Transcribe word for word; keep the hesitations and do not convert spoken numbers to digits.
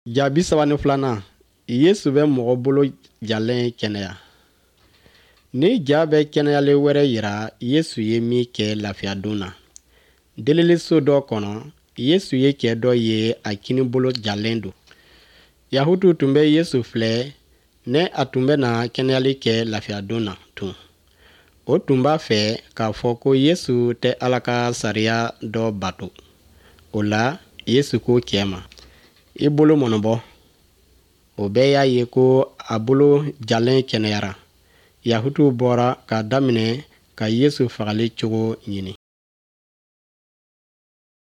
Ja bi saba ni filanan, Yesu bɛ mɔgɔ bolo jalen kɛnɛya. Ni ja bɛ kɛnɛyali wɛrɛ yira Yesu ye min kɛ lafiyadon na. Deliliso dɔ kɔnɔ, Yesu ye cɛ dɔ ye a kinibolo jalen don. Yahutuw tun bɛ Yesu filɛ ne a tun bɛ na kɛnɛyali kɛ lafiyadon na tun. O tun b'a fɛ k'a fɔ ko Yesu tɛ Ala ka sariya dɔ bato. O la, Yesu ko cɛ ma, i bolo mɔnɔbɔ. O bɛɛ y'a ye ko a bolo jalen kɛnɛyara. Yahutuw bɔra k'a daminɛ ka Yesu fagali cogo ɲini.